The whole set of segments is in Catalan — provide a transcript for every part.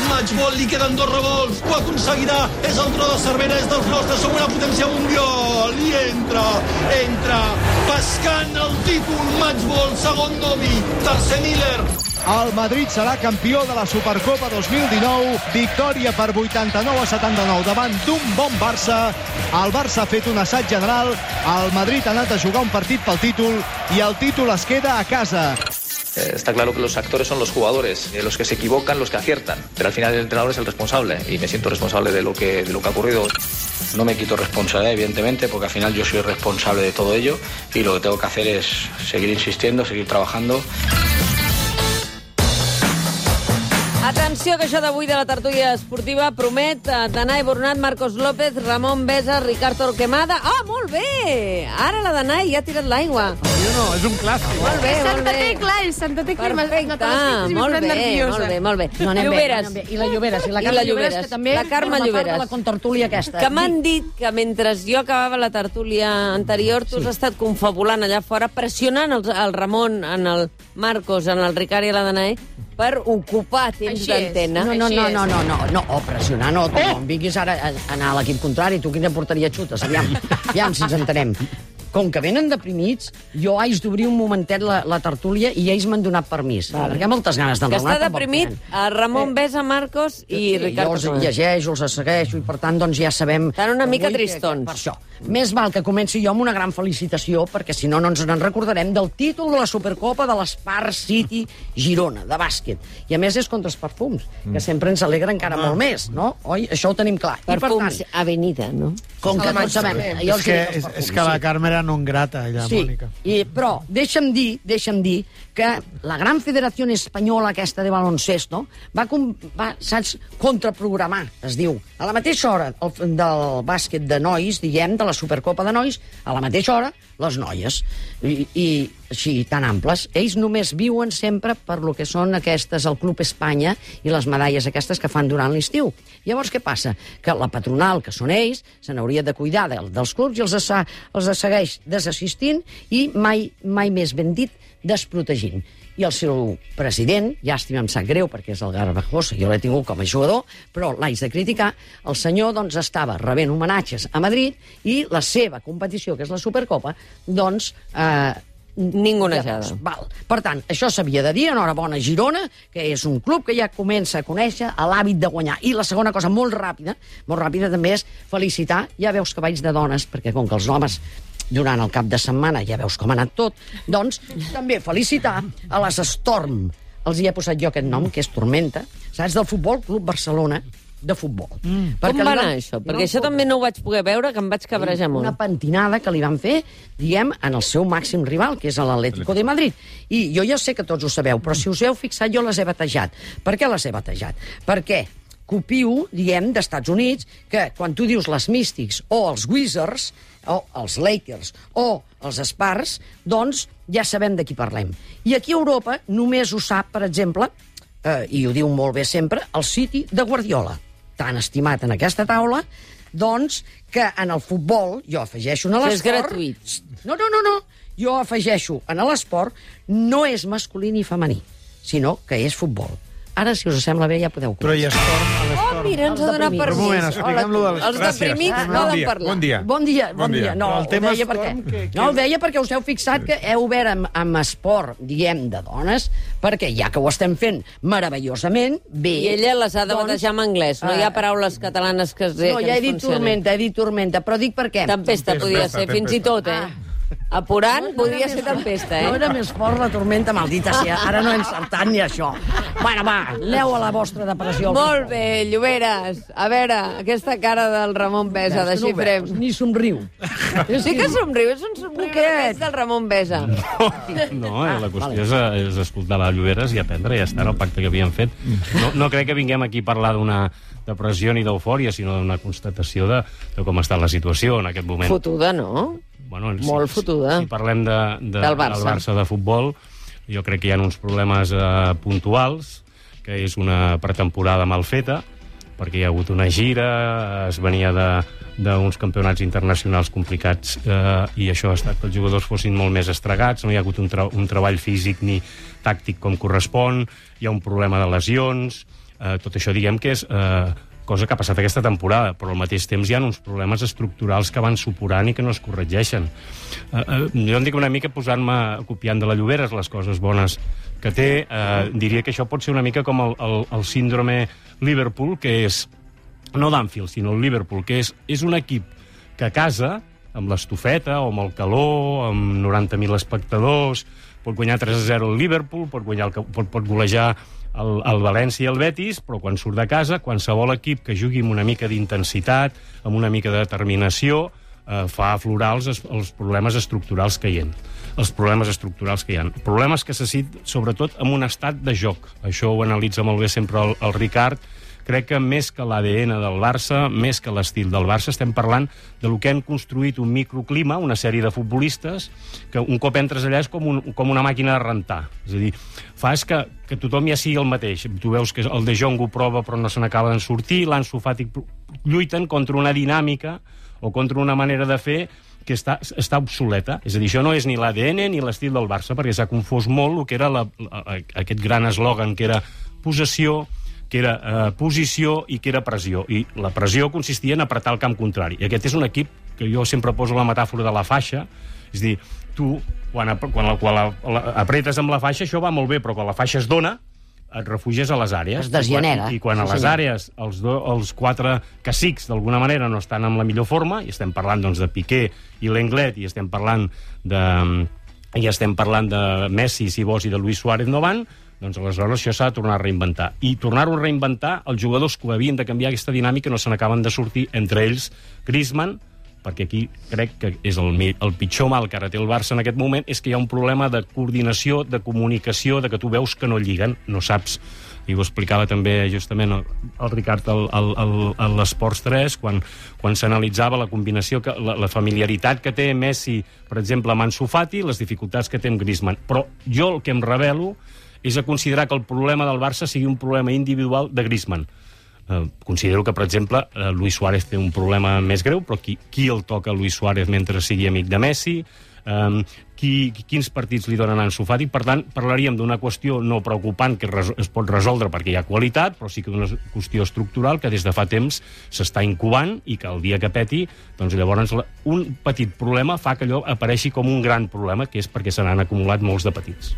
Matchball, li queden 2 revolts, ho aconseguirà, és el tro de Cervera, és dels nostres, som una potència mundial, i entra, pescant el títol, Matchball, segon Domi, tercer Miller. El Madrid serà campió de la Supercopa 2019, victòria per 89-79 davant d'un bon Barça. El Barça ha fet un assaig general, el Madrid ha anat a jugar un partit pel títol i el títol es queda a casa. Está claro que los actores son los jugadores, los que se equivocan, los que aciertan, pero al final el entrenador es el responsable y me siento responsable de lo que ha ocurrido. No me quito responsabilidad, evidentemente, porque al final yo soy responsable de todo ello y lo que tengo que hacer es seguir insistiendo, seguir trabajando. Atenció, que això d'avui de la tertúlia esportiva promet Danai Bernat, Marcos López, Ramon Besa, Ricard Torquemada... Ah, molt bé! Ara la Danai ja ha tirat l'aigua. Jo no, és un clàssic. Molt bé, molt Santa bé. Tecla, és Santa Tecla. Perfecte, molt bé. No, anem Lloberes. bé. I la Lloberes, i la Carme Lloberes, que també la Carme forma part Lloberes. de la contertúlia aquesta. Que m'han dit que mentre jo acabava la tertúlia anterior, tu has estat confabulant allà fora, pressionant el Ramon, en el Marcos, en el Ricard i la Danai, per ocupar temps d'antena. No, pressionar no. Tu no em vinguis ara a anar a l'equip contrari. Tu quina porteria xutes? Aviam si ens entenem. Com que venen deprimits, jo haig d'obrir un momentet la tertúlia i ells m'han donat permís. Perquè hi ha moltes ganes d'enraonar. Que està deprimit Ramon Besa, Marcos i Ricard. Jo els llegeixo, els segueixo i per tant doncs ja sabem... Estan una mica tristons. Per això. Més val que comenci jo amb una gran felicitació, perquè si no ens en recordarem del títol de la Supercopa de l'Spar City Girona, de bàsquet. I a més és contra els perfums, que sempre ens alegra encara molt més, no? Oi? Això ho tenim clar. Perfums Avenida, no? Com que tots sabem... És que la Carme era non grata, allà, Mònica. Sí, però deixa'm dir que la gran Federació Espanyola aquesta de baloncesto va saps, contraprogramar, es diu, a la mateixa hora del bàsquet de nois, diguem, de la Supercopa de nois, a la mateixa hora, les noies. I així, tan amples. Ells només viuen sempre per lo que són aquestes, el Club Espanya, i les medalles aquestes que fan durant l'estiu. Llavors, què passa? Que la patronal, que són ells, se n'hauria de cuidar dels clubs i els segueix desassistint i mai més ben dit, desprotegint. I el seu president, llàstima, em sap greu, perquè és el Garbajosa, jo l'he tingut com a jugador, però l'haig de criticar, el senyor doncs, estava rebent homenatges a Madrid i la seva competició, que és la Supercopa, doncs... ningunejada. Per tant, això s'havia de dir, enhorabona Girona, que és un club que ja comença a conèixer l'hàbit de guanyar. I la segona cosa, molt ràpida també és felicitar, ja veus que vaig de dones, perquè com que els homes durant el cap de setmana ja veus com ha anat tot, doncs també felicitar a les Storm. Els hi he posat jo aquest nom, que és Tormenta, saps, del Futbol Club Barcelona, de futbol. Com va anar això? Perquè això també no ho vaig poder veure, que em vaig cabrejar molt. Una pentinada que li van fer, diguem, en el seu màxim rival, que és l'Atlético de Madrid. I jo ja sé que tots ho sabeu, però si us heu fixat, jo les he batejat. Per què les he batejat? Perquè copio, diguem, d'Estats Units, que quan tu dius les Mystics o els Wizards, o els Lakers, o els Spurs, doncs ja sabem de qui parlem. I aquí a Europa només ho sap, per exemple, i ho diu molt bé sempre, el City de Guardiola, tan estimat en aquesta taula, doncs que en el futbol, jo afegeixo en l'esport... És gratuït. No. Jo afegeixo en l'esport, no és masculí ni femení, sinó que és futbol. Ara, si us sembla bé, ja podeu començar. Però hi ha Storm a l'Storm. Oh, mira, ens ha donat permís. Un moment, expliquem-lo de les... Els deprimits poden parlar. Bon dia. Bon dia. No, ho deia perquè... No, ho deia perquè us heu fixat que heu obert amb esport, diguem, de dones, perquè ja que ho estem fent meravellosament, bé... I ella les ha de batejar en anglès. No hi ha paraules catalanes que no, ja he dit tormenta, però dic per què. Tempesta podia ser, fins i tot, Apurant podria ser tempesta, No era més fort la tormenta, maldita sia. Ara no he encertat ni això. Bueno, va, aneu a la vostra depressió. Molt bé, Lloberes. A veure, aquesta cara del Ramon Besa, desxifrem. Ni somriu. Sí que somriu, és un somriure del Ramon Besa. No, la qüestió és escoltar la Lloberes i aprendre, ja està, el pacte que havien fet. No crec que vinguem aquí a parlar d'una depressió ni d'eufòria, sinó d'una constatació de com està la situació en aquest moment. Fotuda, no? Bueno, molt fotuda. Si parlem del Barça de futbol, jo crec que hi ha uns problemes puntuals, que és una pretemporada mal feta, perquè hi ha hagut una gira, es venia d'uns campionats internacionals complicats i això ha estat que els jugadors fossin molt més estregats, no hi ha hagut un treball físic ni tàctic com correspon, hi ha un problema de lesions, tot això diguem que és cosa que ha passat aquesta temporada, però al mateix temps hi ha uns problemes estructurals que van supurant i que no es corregeixen. Jo en dic una mica copiant de la Lloberes les coses bones que té, diria que això pot ser una mica com el síndrome Liverpool, que és, no d'Anfield, sinó el Liverpool, que és un equip que a casa, amb l'estufeta o amb el calor, amb 90.000 espectadors, pot guanyar 3-0 el Liverpool, pot golejar el València i el Betis, però quan surt de casa, qualsevol equip que jugui amb una mica d'intensitat, amb una mica de determinació, fa aflorar els problemes estructurals que hi ha. Problemes que se citen, sobretot, en un estat de joc. Això ho analitza molt bé sempre el Ricard. Crec que més que l'ADN del Barça, més que l'estil del Barça, estem parlant de lo que han construït un microclima, una sèrie de futbolistes, que un cop entres allà és com una màquina de rentar. És a dir, fas que tothom ja sigui el mateix. Tu veus que el De Jong ho prova però no se n'acaba de sortir, l'Ansu Fati lluiten contra una dinàmica o contra una manera de fer que està obsoleta. És a dir, això no és ni l'ADN ni l'estil del Barça, perquè s'ha confós molt el que era aquest gran eslògan que era possessió, que era posició i que era pressió. I la pressió consistia en apretar el camp contrari. I aquest és un equip que jo sempre poso la metàfora de la faixa. És a dir, tu, quan apretes amb la faixa, això va molt bé, però quan la faixa es dona, et refugies a les àrees. Es desgenera. I quan a les àrees els quatre cacics, d'alguna manera, no estan en la millor forma, i estem parlant doncs, de Piqué i Lenglet, i estem parlant de Messi, si vols, i de Luis Suárez no van, doncs aleshores això s'ha de tornar a reinventar. I tornar-ho a reinventar, els jugadors que havien de canviar aquesta dinàmica no se n'acaben de sortir, entre ells Griezmann, perquè aquí crec que és el pitjor mal que ara té el Barça en aquest moment, és que hi ha un problema de coordinació, de comunicació, de que tu veus que no lliguen, no saps. I ho explicava també justament el Ricard a l'Esports 3, quan s'analitzava la combinació, la familiaritat que té Messi, per exemple, amb Ansu Fati, les dificultats que té amb Griezmann. Però jo el que em rebel·lo és a considerar que el problema del Barça sigui un problema individual de Griezmann. Considero que, per exemple, Luis Suárez té un problema més greu, però qui el toca a Luis Suárez mentre sigui amic de Messi? Quins partits li donen a Ansu Fati? Per tant, parlaríem d'una qüestió no preocupant que es pot resoldre perquè hi ha qualitat, però sí que d'una qüestió estructural que des de fa temps s'està incubant i que el dia que peti, doncs llavors un petit problema fa que allò apareixi com un gran problema, que és perquè se n'han acumulat molts de petits.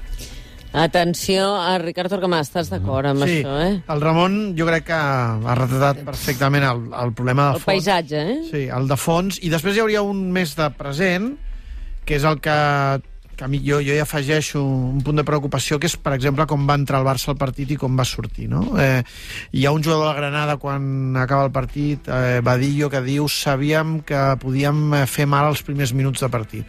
Atenció, a Ricard Torquemada, estàs d'acord amb això, eh? El Ramon jo crec que ha retratat perfectament el problema de fons. El paisatge, eh? Sí, el de fons. I després hi hauria un més de present, que és el que a mi jo hi afegeixo un punt de preocupació, que és, per exemple, com va entrar el Barça al partit i com va sortir, no? Hi ha un jugador de la Granada, quan acaba el partit, Badillo, que diu: sabíem que podíem fer mal els primers minuts de partit.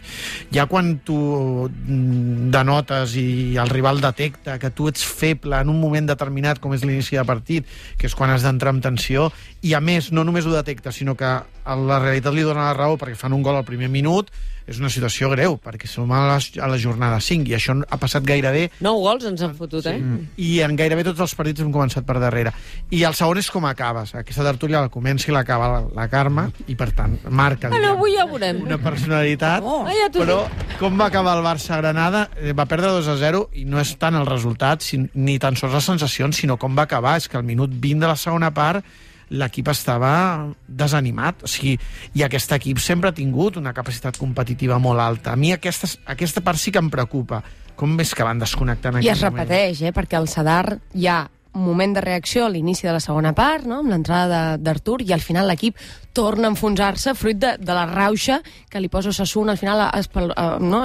Ja quan tu denotes i el rival detecta que tu ets feble en un moment determinat, com és l'inici de partit, que és quan has d'entrar amb tensió, i a més no només ho detecta, sinó que la realitat li dona la raó perquè fan un gol al primer minut, és una situació greu, perquè som a la jornada 5, i això ha passat gairebé... 9 gols ens han fotut, eh? I en gairebé tots els partits hem començat per darrere. I el segon és com acabes. Aquesta tertúlia la comença i l'acaba la Carme, i per tant marca avui ja veurem una personalitat, però com va acabar el Barça-Granada? Va perdre 2-0, i no és tant el resultat, ni tan sols les sensacions, sinó com va acabar. És que al minut 20 de la segona part l'equip estava desanimat. O sigui, i aquest equip sempre ha tingut una capacitat competitiva molt alta. A mi aquesta part sí que em preocupa. Com és que van desconnectant en I es repeteix, perquè al Sadar hi ha un moment de reacció a l'inici de la segona part, no?, amb l'entrada d'Artur, i al final l'equip torna a enfonsar-se fruit de la rauxa que li posa Osasuna, al final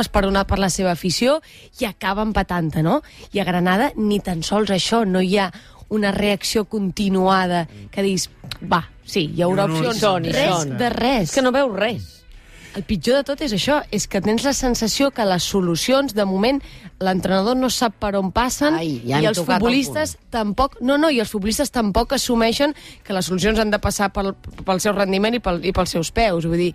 esperonat per la seva afició, i acaba empatant-te, no? I a Granada ni tan sols això, no hi ha una reacció continuada que dius, va, sí, hi haurà opcions. Res de res. És que no veus res. El pitjor de tot és això, és que tens la sensació que les solucions, de moment, l'entrenador no sap per on passen, i els futbolistes tampoc... i els futbolistes tampoc assumeixen que les solucions han de passar pel seu rendiment i pels seus peus. Vull dir,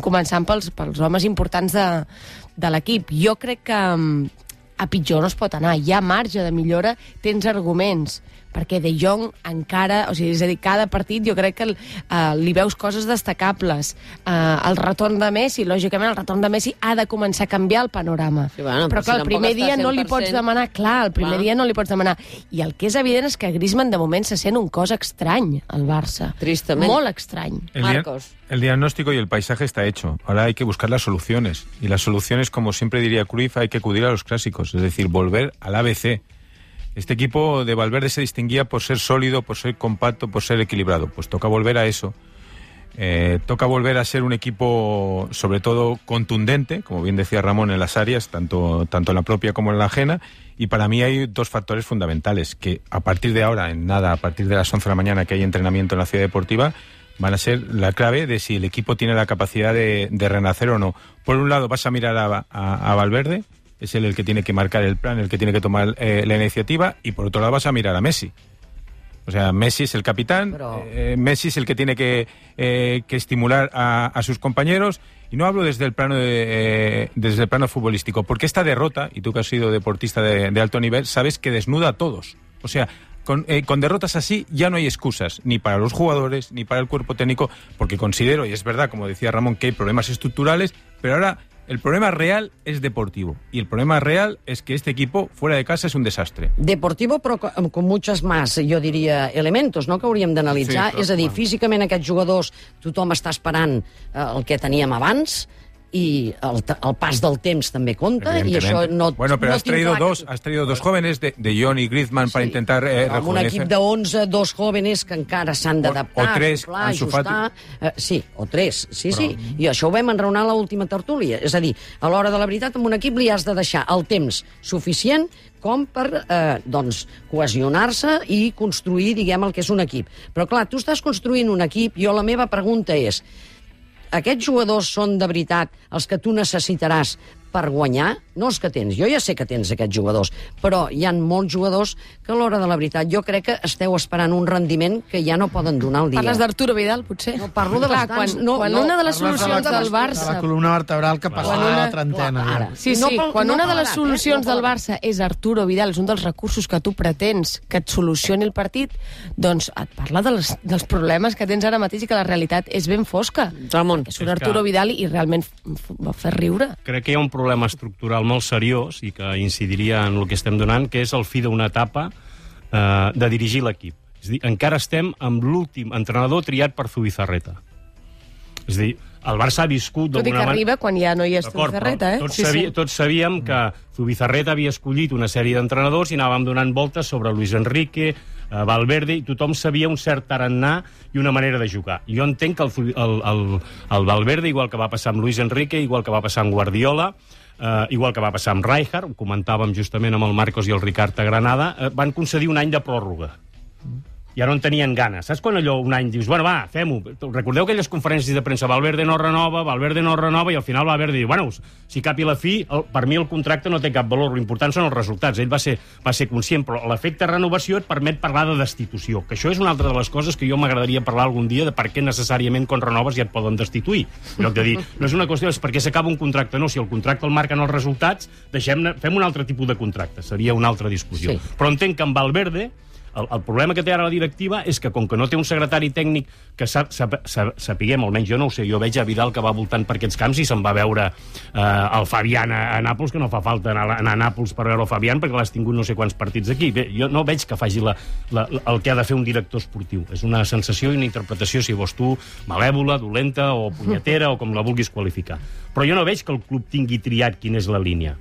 començant pels homes importants de l'equip. Jo crec que a pitjor no es pot anar. Hi ha marge de millora, tens arguments, perquè De Jong encara, o sigui, és a dir, cada partit jo crec que li veus coses destacables. El retorn de Messi, lògicament, el retorn de Messi ha de començar a canviar el panorama. Sí, bueno, però clar, el primer dia no li pots demanar, dia no li pots demanar. I el que és evident és que Griezmann de moment se sent un cos estrany al Barça. Tristament. Molt estrany. Marcos. El diagnóstico y el paisaje está hecho. Ahora hay que buscar las soluciones. Y las soluciones, como siempre diría Cruyff, hay que acudir a los clásicos. Es decir, volver al ABC. Este equipo de Valverde se distinguía por ser sólido, por ser compacto, por ser equilibrado. Pues toca volver a eso. Toca volver a ser un equipo, sobre todo, contundente, como bien decía Ramón, en las áreas, tanto en la propia como en la ajena. Y para mí hay dos factores fundamentales, que a partir de ahora, a partir de las 11 de la mañana que hay entrenamiento en la Ciudad Deportiva, van a ser la clave de si el equipo tiene la capacidad de renacer o no. Por un lado vas a mirar a Valverde, es él el que tiene que marcar el plan, el que tiene que tomar la iniciativa, y por otro lado vas a mirar a Messi. O sea, Messi es el capitán, Messi es el que tiene que estimular a sus compañeros, y no hablo desde el plano futbolístico, porque esta derrota, y tú que has sido deportista de alto nivel, sabes que desnuda a todos. O sea, con derrotas así ya no hay excusas, ni para los jugadores, ni para el cuerpo técnico, porque considero, y es verdad, como decía Ramón, que hay problemas estructurales, pero ahora el problema real es deportivo, y el problema real es que este equipo fuera de casa es un desastre. Deportivo, però con muchos más, jo diria, elementos, no?, que hauríem d'analitzar. Sí, és a dir, físicament aquests jugadors, tothom està esperant el que teníem abans, y el pas del temps també compta, i això no... Bueno, pero has traído dos jóvenes, de Jong y Griezmann, para intentar rejuvenecer. Amb un equip de 11, dos jóvenes que encara s'han d'adaptar, o tres, ajustar... Sí, o tres, sí. I això ho vam enraonar a l'última tertúlia. És a dir, a l'hora de la veritat, amb un equip li has de deixar el temps suficient com per cohesionar-se i construir, diguem, el que és un equip. Però clar, tu estàs construint un equip, la meva pregunta és: aquests jugadors són de veritat els que tu necessitaràs per guanyar? No els que tens. Jo ja sé que tens aquests jugadors, però hi ha molts jugadors que a l'hora de la veritat jo crec que esteu esperant un rendiment que ja no poden donar el dia. Parles d'Arturo Vidal, potser? No, parlo de bastants. Quan una de les solucions del Barça... De la columna vertebral que passa a la trentena. Sí, quan una de les solucions del Barça és Arturo Vidal, és un dels recursos que tu pretens que et solucioni el partit, doncs et parla dels problemes que tens ara mateix i que la realitat és ben fosca. Ramon. És un Arturo Vidal i realment va fer riure. Crec que hi ha un problema estructural molt seriós i que incidiria en el que estem donant, que és el fi d'una etapa de dirigir l'equip. És a dir, encara estem amb l'últim entrenador triat per Zubizarreta. És a dir, el Barça ha viscut d'alguna manera... Tot i que arriba quan ja no hi és Zubizarreta, Tots sabíem que Zubizarreta havia escollit una sèrie d'entrenadors i anàvem donant voltes sobre Luis Enrique, Valverde, i tothom sabia un cert tarannà i una manera de jugar. Jo entenc que el Valverde, igual que va passar amb Luis Enrique, igual que va passar amb Guardiola, igual que va passar amb Rijkaard, ho comentàvem justament amb el Marcos i el Ricard a Granada, van concedir un any de pròrroga. Ja no en tenien ganes. Saps quan allò un any dius, bueno, va, fem-ho. Recordeu aquelles conferències de premsa, Valverde no renova, i al final Valverde diu, bueno, si cap i la fi, per mi el contracte no té cap valor, l'important són els resultats. Ell va ser conscient, però l'efecte renovació et permet parlar de destitució, que això és una altra de les coses que jo m'agradaria parlar algun dia, de per què necessàriament quan renoves ja et poden destituir. En lloc de dir, no és una qüestió, és perquè s'acaba un contracte, no, si el contracte el marquen els resultats, fem un altre tipus de contracte, seria una altra discussió. Sí. Però entenc que amb Valverde el problema que té ara la directiva és que, com que no té un secretari tècnic que sapiguem, almenys jo no ho sé, jo veig a Vidal que va voltant per aquests camps i se'n va veure el Fabián a Nàpols, que no fa falta anar a Nàpols per veure el Fabián perquè l'has tingut no sé quants partits aquí. Bé, jo no veig que faci el que ha de fer un director esportiu. És una sensació i una interpretació, si vols tu, malèvola, dolenta o punyetera o com la vulguis qualificar. Però jo no veig que el club tingui triat quina és la línia.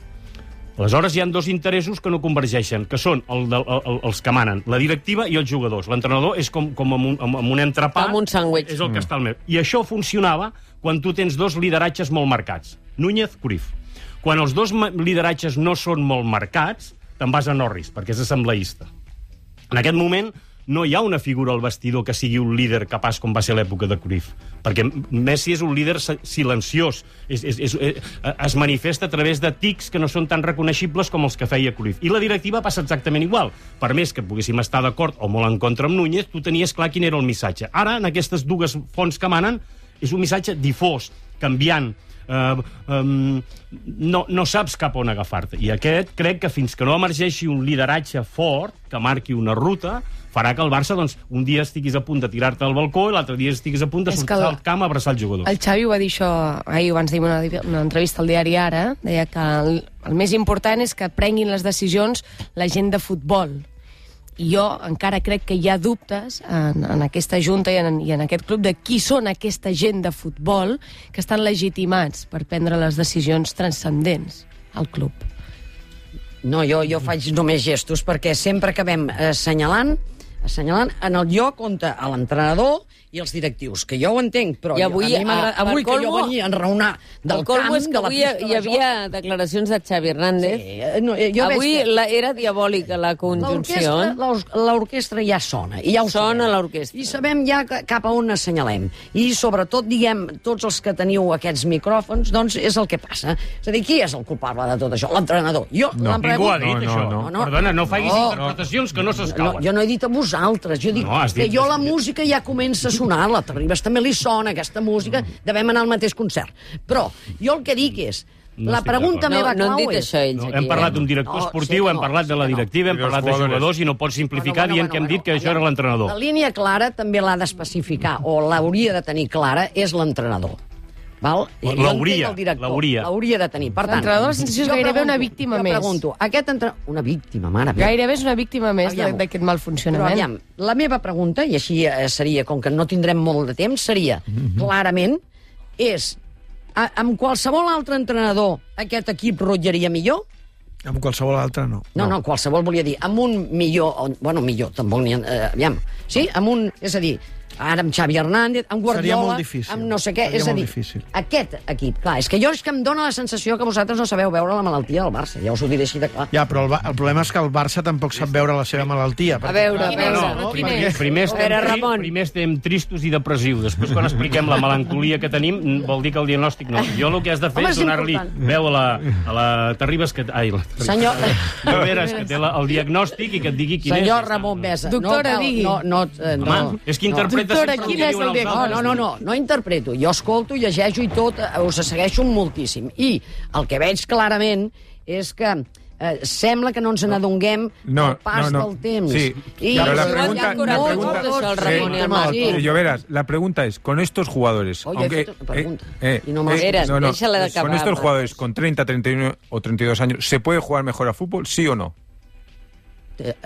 Aleshores hi ha dos interessos que no convergeixen, que són els que manen, la directiva i els jugadors. L'entrenador és com amb un entrepà, com un sàndwich. És el que està al meu. I això funcionava quan tu tens dos lideratges molt marcats. Núñez, Cruyff. Quan els dos lideratges no són molt marcats, te'n vas a Norris, perquè és assembleista. En aquest moment no hi ha una figura al vestidor que sigui un líder capaç com va ser l'època de Cruyff, perquè Messi és un líder silenciós, es manifesta a través de tics que no són tan reconeixibles com els que feia Cruyff. I la directiva passa exactament igual. Per més que poguéssim estar d'acord o molt en contra amb Núñez, tu tenies clar quin era el missatge. Ara, en aquestes dues fonts que manen, és un missatge difós, canviant, no saps cap on agafar-te. I aquest crec que fins que no emergeixi un lideratge fort, que marqui una ruta, farà que el Barça, doncs, un dia estiguis a punt de tirar-te al balcó i l'altre dia estiguis a punt de sortir al camp a abraçar el jugador. El Xavi ho va dir això ahir, abans de una entrevista al diari Ara, deia que el més important és que prenguin les decisions la gent de futbol. I jo encara crec que hi ha dubtes en aquesta junta i en aquest club de qui són aquesta gent de futbol que estan legitimats per prendre les decisions transcendents al club. No, jo faig només gestos perquè sempre acabem assenyalant en el lloc on a l'entrenador i els directius, que jo ho entenc, però avui que jo venia a enraonar del camp... És que avui hi havia declaracions de Xavi Hernández. Sí, avui era diabòlica la conjunció. L'orquestra ja sona. I ja ho sona l'orquestra. I sabem ja cap a on assenyalem. I sobretot, diguem, tots els que teniu aquests micròfons, doncs és el que passa. És a dir, qui és el culpable de tot això? L'entrenador. Ningú ha dit això. Perdona, no facis interpretacions que no s'escauen. Jo no he dit a vosaltres. Jo dic que jo la música ja comença a sonar. La Terribas també li sona aquesta música, devem anar al mateix concert. Però jo el que dic és, la pregunta meva clau és... Hem parlat d'un director esportiu, hem parlat de la directiva, hem parlat de jugadors i no pots simplificar dient que hem dit que això era l'entrenador. La línia clara també l'ha d'especificar, o l'hauria de tenir clara, és l'entrenador. L'hauria de tenir. Per tant, l'entrenador, la sensació és gairebé una víctima més. Jo pregunto, una víctima, mare meva. Gairebé és una víctima més d'aquest mal funcionament. Però aviam, la meva pregunta, i així seria, com que no tindrem molt de temps, seria, clarament, és, amb qualsevol altre entrenador aquest equip rotllaria millor? Amb qualsevol altre, no. No, qualsevol volia dir, amb un millor, tampoc n'hi ha, aviam, sí, amb un, és a dir, ara amb Xavi Hernández, amb Guardiola, amb no sé què, és a dir, aquest equip, clar, és que em dóna la sensació que vosaltres no sabeu veure la malaltia del Barça, ja us ho diré així de clar. Ja, però el problema és que el Barça tampoc sap veure la seva malaltia. A veure, primer estem tristos i depressius, després quan expliquem la melancolia que tenim, vol dir que el diagnòstic no. Jo el que has de fer és donar-li veu a la Terribas, senyor Lloberes, que té el diagnòstic i que et digui quin és. Senyor Ramon Mesa. Doctora, digui. Home, és que interpreta... Doctora, quin és el diagnòstic? No interpreto. Jo escolto, llegeixo i tot, us segueixo moltíssim. I el que veig clarament és que sembla que no ens n'adonguem del pas del temps. Sí, pero la pregunta es, con estos jugadores... Con estos jugadores con 30, 31 o 32 años, ¿se puede jugar mejor a fútbol, sí o no?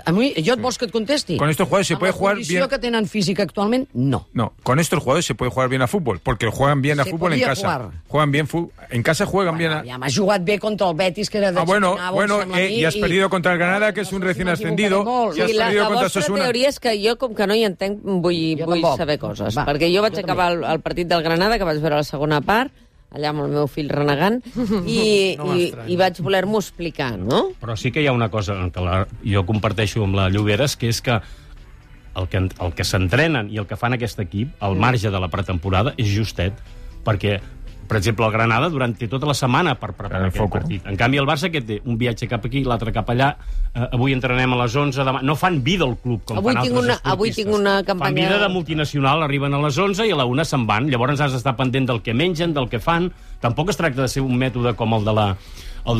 A mi, jo et vols que et contesti? Con estos jugadores se puede jugar bien... Amb la condició que tenen física actualment, no. No, con estos jugadores se puede jugar bien a fútbol, porque juegan bien a fútbol en casa. Juegan bien en casa juegan bien a... Ja m'ha jugat bé contra el Betis, que era de... Bueno, y has perdido contra el Granada, que es un recién ascendido. I la vostra teoria és que jo, com que no hi entenc, vull saber coses. Perquè jo vaig acabar el partit del Granada, que vaig veure la segona part, allà amb el meu fill renegant, i vaig voler-m'ho explicar, no? Però sí que hi ha una cosa que jo comparteixo amb la Lloberes, que és que el que s'entrenen i el que fan aquest equip, al marge de la pretemporada, és justet, perquè, per exemple, el Granada durant tota la setmana per preparar aquest partit. En canvi, el Barça, que té un viatge cap aquí, l'altre cap allà, avui entrenem a les 11, demà... No fan vida al club, com fan altres esportistes. Avui tinc una campanya... Fan vida de multinacional, arriben a les 11 i a la 1 se'n van. Llavors has d'estar pendent del que mengen, del que fan. Tampoc es tracta de ser un mètode com el de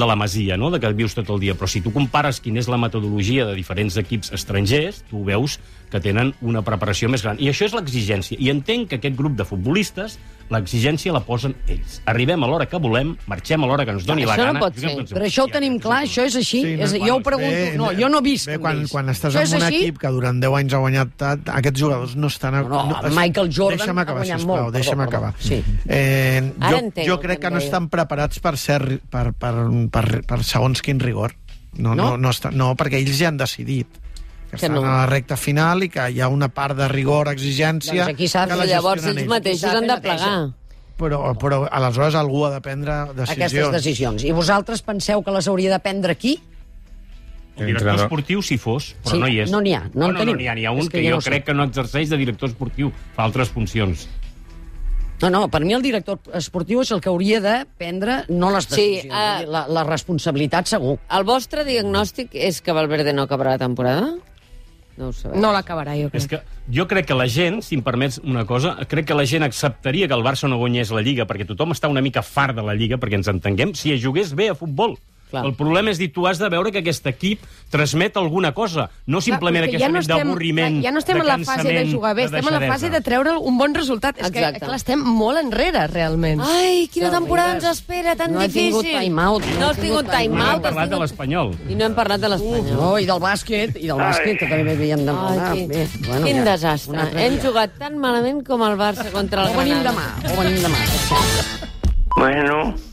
la Masia, no? De que vius tot el dia. Però si tu compares quina és la metodologia de diferents equips estrangers, tu veus que tenen una preparació més gran. I això és l'exigència. I entenc que aquest grup de futbolistes l'exigència la posen ells. Arribem a l'hora que volem, marxem a l'hora que ens doni la gana... Això no pot ser. Però això ho tenim clar, això és així. Jo ho pregunto... No, jo no visc amb ells. Quan estàs en un equip que durant 10 anys ha guanyat, aquests jugadors no estan... Michael Jordan ha guanyat molt. Deixa'm acabar. Jo crec que no estan preparats per segons quin rigor. No, perquè ells ja han decidit que estan a la recta final i que hi ha una part de rigor, exigència... Doncs aquí saps, llavors ells mateixos han de plegar. Però aleshores algú ha de prendre decisions. Aquestes decisions. I vosaltres penseu que les hauria de prendre qui? El director esportiu, si fos, però no hi és. No n'hi ha, no en tenim. N'hi ha un que jo crec que no exerceix de director esportiu, fa altres funcions. No, per mi el director esportiu és el que hauria de prendre, no les decisions, la responsabilitat segur. El vostre diagnòstic és que Valverde no acabarà la temporada? No ho sabem. No l'acabarà, jo crec. És que jo crec que la gent, si em permets una cosa, crec que la gent acceptaria que el Barça no guanyés la Lliga, perquè tothom està una mica fart de la Lliga, perquè ens entenguem, si es jugués bé a futbol. Clar. El problema és dir, tu has de veure que aquest equip transmet alguna cosa, no simplement aquest moment d'avorriment, ja no estem de en la fase de jugar bé, estem en la fase de treure un bon resultat. És que clar, estem molt enrere, realment. Ai, quina temporada ens espera, tan difícil. No he tingut time-out. No has tingut time-out. No hem parlat de l'Espanyol. I no hem parlat de l'Espanyol. No, i del bàsquet, que també havíem de parlar. Quin desastre. Hem jugat tan malament com el Barça contra el Granada. Ho venim demà. Bueno...